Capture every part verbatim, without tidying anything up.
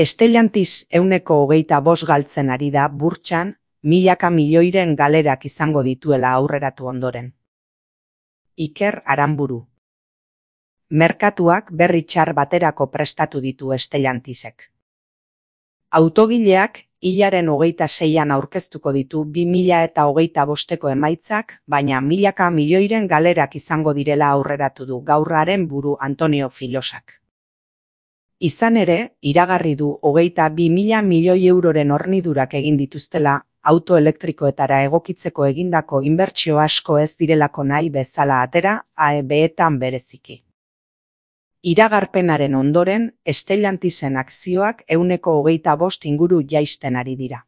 Stellantis ehuneko hogeita bost galtzen ari da burtsan, milaka milioiren galerak izango dituela aurreratu ondoren. Iker Aranburu. Merkatuak berri txar baterako prestatu ditu Stellantisek. Autogileak hilaren hogeita seian aurkeztuko ditu bi mila eta hogeita bosteko emaitzak, baina milaka milioiren galerak izango direla aurreratu du gaurraren buru Antonio Filosak. Izan ere, iragarri du hogeita bi mila milioi euroren hornidurak egin dituztela, auto elektrikoetara egokitzeko egindako inbertsio asko ez direlako nahi bezala atera, A E B-etan bereziki. Iragarpenaren ondoren, Stellantisen akzioak ehuneko hogeita bost inguru jaisten ari dira.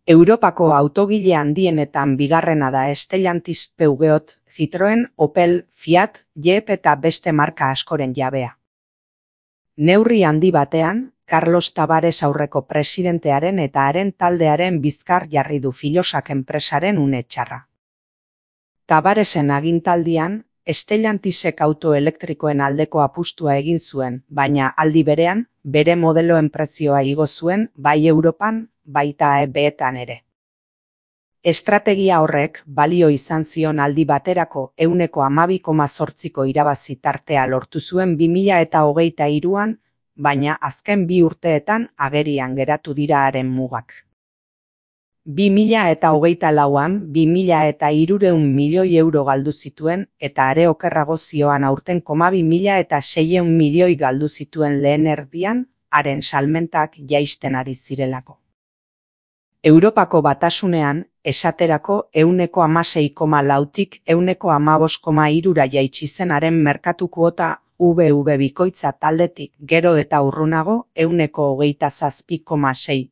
Europako autogile handienetan bigarrena da Stellantis, Peugeot, Citroën, Opel, Fiat, Jeep eta beste marka askoren jabea. Neurri handi batean, Carlos Tavares aurreko presidentearen eta haren taldearen bizkar jarri du Filosak enpresaren une txarra. Tavaresen agintaldian, Stellantisek auto elektrikoen aldeko apustua egin zuen, baina aldi berean, bere modeloen prezioa igo zuen, bai Europan, baita A E B-etan ere. Estrategia horrek balio izan zion aldi baterako ehuneko hamabi koma zortziko irabazi tartea lortu zuen bi mila eta hogeita hiruan, baina azken bi urteetan agerian geratu dira haren mugak. bi mila eta hogeita lauan bi mila eta hirurehun milioi euro galdu zituen eta are okerrago zioan aurten koma bi mila eta seiehun milioi galdu zituen lehen erdian, haren salmentak jaisten ari zirelako. Europako batasunean, esaterako ehuneko hamasei koma lautik ehuneko hamabost koma hirura jaitsi zen haren merkatu kuota V V bikoitza taldetik gero eta urrunago ehuneko hogeita zazpi koma sei.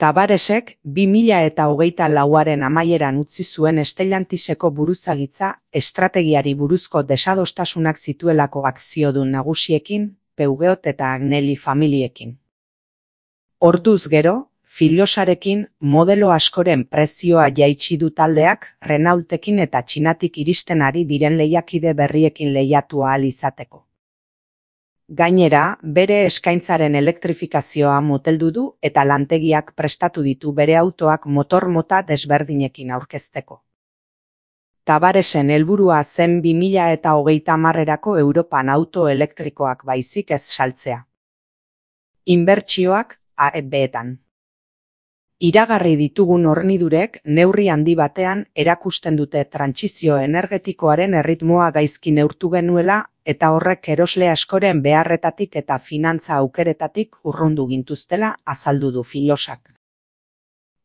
Tavaresek bi mila eta hogeita lauaren amaieran utzi zuen Stellantiseko buruzagitza estrategiari buruzko desadostasunak zituelako akziodun nagusiekin, Peugeot eta Agnelli familiekin. Orduz gero, Filosarekin modelo askoren prezioa jaitsi du taldeak, Renaultekin eta Txinatik iristen ari diren lehiakide berriekin lehiatu ahal izateko. Gainera, bere eskaintzaren elektrifikazioa moteldu du eta lantegiak prestatu ditu bere autoak motor mota desberdinekin aurkezteko. Tavaresen helburua zen bi mila eta hogeita hamarrerako Europan auto elektrikoak baizik ez saltzea. Inbertsioak A E B-etan. Iragarri ditugun hornidurek neurri handi batean erakusten dute trantsizio energetikoaren erritmoa gaizki neurtu genuela eta horrek erosle askoren beharretatik eta finantza aukeretatik urrundu gintuztela azaldu du Filosak.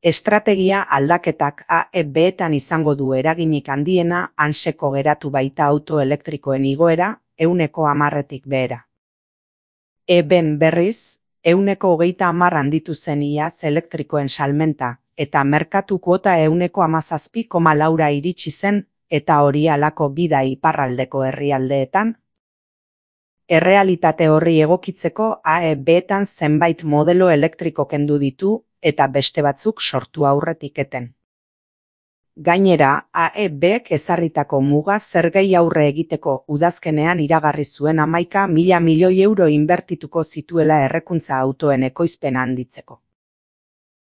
Estrategia aldaketak A E B-etan izango du eraginik handiena hanseko geratu baita auto elektrikoen igoera, ehuneko hamarretik behera. E B-en berriz, ehuneko hogeita hamar handitu zen iaz elektrikoen salmenta, eta merkatu kuota ehuneko hamazazpi koma laura iritsi zen, eta hori halako bida iparraldeko herrialdeetan. Errealitate horri egokitzeko A E B-etan zenbait modelo elektriko kendu ditu, eta beste batzuk sortu aurretik eten. Gainera, A E B-ek ezarritako muga zergei aurre egiteko udazkenean iragarri zuen hamaika mila milioi euro inbertituko zituela errekuntza autoen ekoizpena handitzeko.